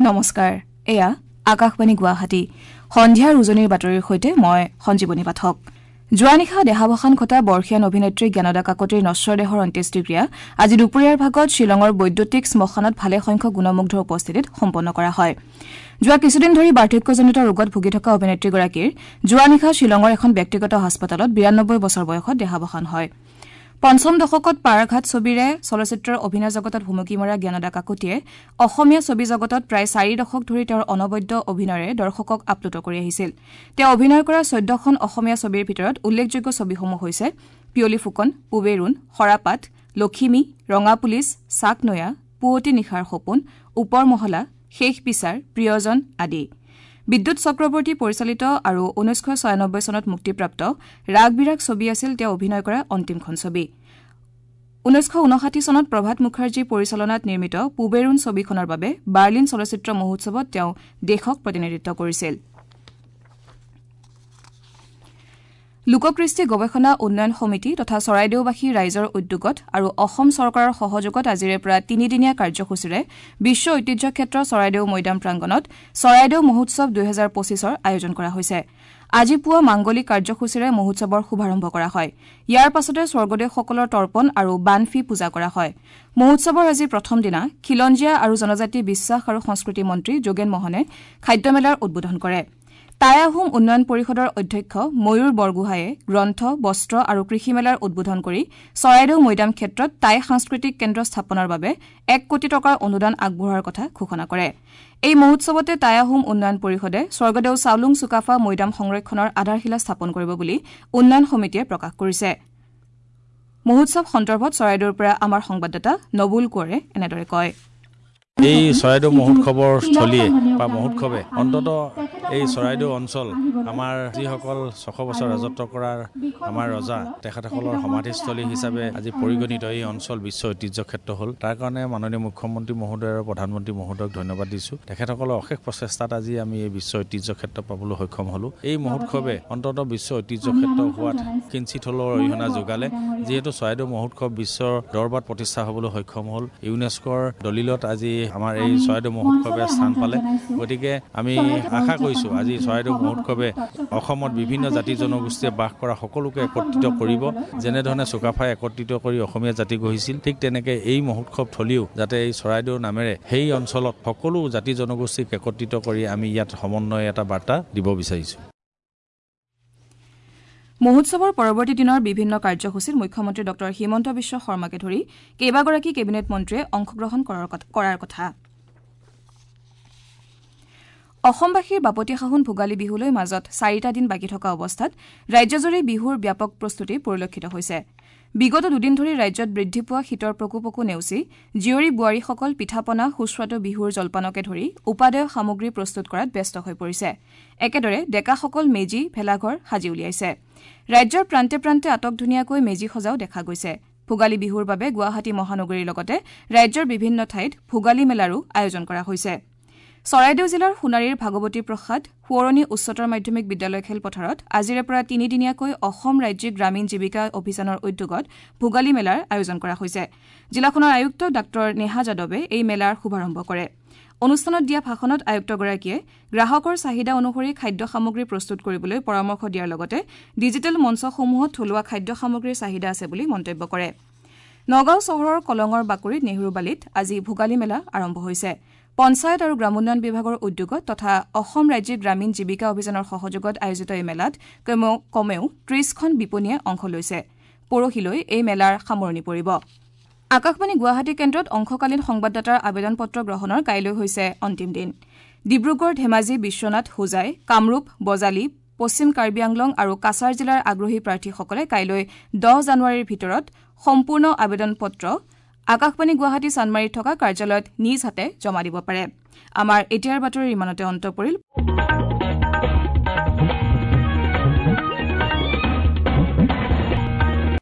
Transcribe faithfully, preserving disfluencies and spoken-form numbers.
নমস্কাৰ, এয়া আকাশবাণী গুৱাহাটী। সন্ধিয়াৰ উজনিৰ বাতৰিৰ সৈতে মই সঞ্জীৱনী পাঠক। যোৱা নিশা দেহাৱসান ঘটা বৰ্ষীয়ান অভিনেত্ৰী জ্ঞানদা কাকতিৰ নশ্বৰ দেহৰ অন্ত্যেষ্টিক্ৰিয়া আজি দুপৰীয়াৰ ভাগত শ্বিলঙৰ বৈদ্যুতিক শ্মশানত ভালেসংখ্যক গুণমুগ্ধৰ উপস্থিতিত সম্পন্ন কৰা হয়। যোৱা কিছুদিন ধৰি বাৰ্ধক্যজনিত ৰোগত ভুগি থকা অভিনেত্ৰীগৰাকীৰ যোৱা নিশা শ্বিলঙৰ এখন ব্যক্তিগত হাস্পতালত বিৰান্নব্বৈ বছৰ বয়সত দেহাৱসান হয়। পঞ্চম দশকত পাৰঘাট ছবিৰে চলচ্চিত্ৰৰ অভিনয় জগতত ভুমুকি মৰা জ্ঞানদা কাকতিয়ে অসমীয়া ছবি জগতত প্ৰায় চাৰি দশক ধৰি তেওঁৰ অনবদ্য অভিনয়েৰে দৰ্শকক আপ্লুত কৰি আহিছিল। তেওঁ অভিনয় কৰা চৈধ্যখন অসমীয়া ছবিৰ ভিতৰত উল্লেখযোগ্য ছবিসমূহ হৈছে পিয়লি ফুকন, পূবেৰুণ, সৰাপাত, লখিমী, ৰঙা পুলিচ, চাকনৈয়া, পুৱতি নিশাৰ সপোন, ওপৰ মহলা, শেষ বিচাৰ, প্ৰিয়জন আদি। বিদ্যুৎ চক্ৰৱৰ্তী পৰিচালিত আৰু ঊনৈছশ ছয়ানব্বৈ চনত মুক্তিপ্ৰাপ্ত ৰাগ বিৰাগ ছবি আছিল তেওঁ অভিনয় কৰা অন্তিমখন ছবি। ঊনৈছশ ঊনষাঠি চনত প্ৰভাত মুখাৰ্জীৰ পৰিচালনাত নিৰ্মিত পূবেৰুণ ছবিখনৰ বাবে বাৰ্লিন চলচ্চিত্ৰ মহোৎসৱত তেওঁ দেশক প্ৰতিনিধিত্ব কৰিছিল। লোককৃষ্টি গৱেষণা উন্নয়ন সমিতি তথা চৰাইদেউবাসী ৰাইজৰ উদ্যোগত আৰু অসম চৰকাৰৰ সহযোগত আজিৰে পৰা তিনিদিনীয়া কাৰ্যসূচীৰে বিশ্ব ঐতিহ্য ক্ষেত্ৰ চৰাইদেউ মৈদাম প্ৰাংগণত চৰাইদেউ মহোৎসৱ দুহেজাৰ পঁচিছৰ আয়োজন কৰা হৈছে। আজি পুৱা মাংগলিক কাৰ্যসূচীৰে মহোৎসৱৰ শুভাৰম্ভ কৰা হয়। ইয়াৰ পাছতে স্বৰ্গদেউসকলৰ তৰ্পণ আৰু বানফি পূজা কৰা হয়। মহোৎসৱৰ আজি প্ৰথম দিনা খিলঞ্জীয়া আৰু জনজাতি বিশ্বাস আৰু সংস্কৃতি মন্ত্ৰী যোগেন মহনে খাদ্যমেলাৰ উদ্বোধন কৰে। টাই আহোম উন্নয়ন পৰিষদৰ অধ্যক্ষ ময়ূৰ বৰগোহাঁয়ে গ্ৰন্থ, বস্ত্ৰ আৰু কৃষি মেলাৰ উদ্বোধন কৰি চৰাইদেউ মৈদাম ক্ষেত্ৰত টাই সাংস্কৃতিক কেন্দ্ৰ স্থাপনৰ বাবে এক কোটি টকাৰ অনুদান আগবঢ়োৱাৰ কথা ঘোষণা কৰে। এই মহোৎসৱতে টাই আহোম উন্নয়ন পৰিষদে স্বৰ্গদেউ চাওলুং চুকাফা মৈদাম সংৰক্ষণৰ আধাৰশিলা স্থাপন কৰিব বুলি উন্নয়ন সমিতিয়ে প্ৰকাশ কৰিছে। মহোৎসৱ সন্দৰ্ভত চৰাইদেউৰ পৰা আমাৰ সংবাদদাতা নবুল কোঁৱৰে এনেদৰে কয়। এই চৰাইদেউ মহোৎসৱৰ স্থলীয়ে বা মহোৎসৱে অন্তত এই চৰাইদেউ অঞ্চল আমাৰ যিসকল ছশ বছৰ ৰাজত্ব কৰাৰ আমাৰ ৰজা তেখেতসকলৰ সমাধিস্থলী হিচাপে আজি পৰিগণিত এই অঞ্চল বিশ্ব ঐতিহ্য ক্ষেত্ৰ হ'ল। তাৰ কাৰণে মাননীয় মুখ্যমন্ত্ৰী মহোদয় আৰু প্ৰধানমন্ত্ৰী মহোদয়ক ধন্যবাদ দিছোঁ। তেখেতসকলৰ অশেষ প্ৰচেষ্টাত আজি আমি এই বিশ্ব ঐতিহ্য ক্ষেত্ৰ পাবলৈ সক্ষম হ'লোঁ। এই মহোৎসৱে অন্তত বিশ্ব ঐতিহ্য ক্ষেত্ৰ হোৱাত কিঞ্চিত হ'লেও অৰিহণা যোগালে। যিহেতু চৰাইদেউ মহোৎসৱ বিশ্বৰ দৰবাৰত প্ৰতিষ্ঠা হ'বলৈ সক্ষম হ'ল, ইউনেস্কোৰ দলিলত আজি আমাৰ এই চৰাইদেউ মহোৎসৱে স্থান পালে। গতিকে আমি আশা কৰিছোঁ আজি চৰাইদেউ মহোৎসৱে অসমত বিভিন্ন জাতি জনগোষ্ঠীয়ে বাস কৰা সকলোকে একত্ৰিত কৰিব। যেনেধৰণে চুকাফাই একত্ৰিত কৰি অসমীয়া জাতি গঢ়িছিল, ঠিক তেনেকৈ এই মহোৎসৱ থলীও যাতে এই চৰাইদেউ নামেৰে সেই অঞ্চলত সকলো জাতি জনগোষ্ঠীক একত্ৰিত কৰি আমি ইয়াত সমন্বয় এটা বাৰ্তা দিব বিচাৰিছোঁ। মহোৎসৱৰ পৰৱৰ্তী দিনৰ বিভিন্ন কাৰ্যসূচীত মুখ্যমন্ত্ৰী ডঃ হিমন্ত বিশ্ব শৰ্মাকে ধৰি কেইবাগৰাকী কেবিনেট মন্ত্ৰীয়ে অংশগ্ৰহণ কৰাৰ কথা। অসমবাসীৰ বাপতি সাহোন ভোগালী বিহুলৈ মাজত চাৰিটা দিন বাকী থকা অৱস্থাত ৰাজ্যজুৰি বিহুৰ ব্যাপক প্ৰস্তুতি পৰিলক্ষিত হৈছে। বিগত দুদিন ধৰি ৰাজ্যত বৃদ্ধি পোৱা শীতৰ প্ৰকোপকো নেওচি জীয়ৰী বোৱাৰীসকল পিঠা-পনা, সুস্বাদু বিহুৰ জলপানকে ধৰি উপাদেয় সামগ্ৰী প্ৰস্তুত কৰাত ব্যস্ত হৈ পৰিছে। একেদৰে ডেকাসকল মেজি, ভেলাঘৰ সাজি উলিয়াইছে। ৰাজ্যৰ প্ৰান্তে প্ৰান্তে আটকধুনীয়াকৈ মেজি সজাও দেখা গৈছে। ভোগালী বিহুৰ বাবে গুৱাহাটী মহানগৰীৰ লগতে ৰাজ্যৰ বিভিন্ন ঠাইত ভোগালী মেলাৰো আয়োজন কৰা হৈছে। চৰাইদেউ জিলাৰ সোণাৰীৰ ভাগৱতী প্ৰসাদ সোঁৱৰণী উচ্চতৰ মাধ্যমিক বিদ্যালয় খেলপথাৰত আজিৰে পৰা তিনিদিনীয়াকৈ অসম ৰাজ্যিক গ্ৰামীণ জীৱিকা অভিযানৰ উদ্যোগত ভোগালী মেলাৰ আয়োজন কৰা হৈছে। জিলাখনৰ আয়ুক্ত ডাঃ নেহা যাদৱে এই মেলাৰ শুভাৰম্ভ কৰে। অনুষ্ঠানত দিয়া ভাষণত আয়ুক্তগৰাকীয়ে গ্ৰাহকৰ চাহিদা অনুসৰি খাদ্য সামগ্ৰী প্ৰস্তুত কৰিবলৈ পৰামৰ্শ দিয়াৰ লগতে ডিজিটেল মঞ্চসমূহত থলুৱা খাদ্য সামগ্ৰীৰ চাহিদা আছে বুলি মন্তব্য কৰে। নগাঁও চহৰৰ কলঙৰ বাকৰিত নেহৰুবালিত আজি ভোগালী মেলা আৰম্ভ হৈছে। পঞ্চায়ত আৰু গ্ৰামোন্নয়ন বিভাগৰ উদ্যোগত তথা অসম ৰাজ্যিক গ্ৰামীণ জীৱিকা অভিযানৰ সহযোগত আয়োজিত এই মেলাত কমেও ত্ৰিশখন বিপণীয়ে অংশ লৈছে। পৰহিলৈ এই মেলাৰ সামৰণি পৰিব। আকাশবাণী গুৱাহাটী কেন্দ্ৰত অংশকালীন সংবাদদাতাৰ আবেদন পত্ৰ গ্ৰহণৰ কাইলৈ হৈছে অন্তিম দিন। ডিব্ৰুগড়, ধেমাজি, বিশ্বনাথ, হোজাই, কামৰূপ, বজালী, পশ্চিম কাৰ্বি আংলং আৰু কাছাৰ জিলাৰ আগ্ৰহী প্ৰাৰ্থীসকলে কাইলৈ দহ জানুৱাৰীৰ ভিতৰত সম্পূৰ্ণ আবেদন পত্ৰ আকাশবাণী গুৱাহাটী চানমাৰীত থকা কাৰ্যালয়ত নিজ হাতে জমা দিব পাৰে। আমাৰ এতিয়াৰ বাতৰি ইমানতে অন্ত পৰিল।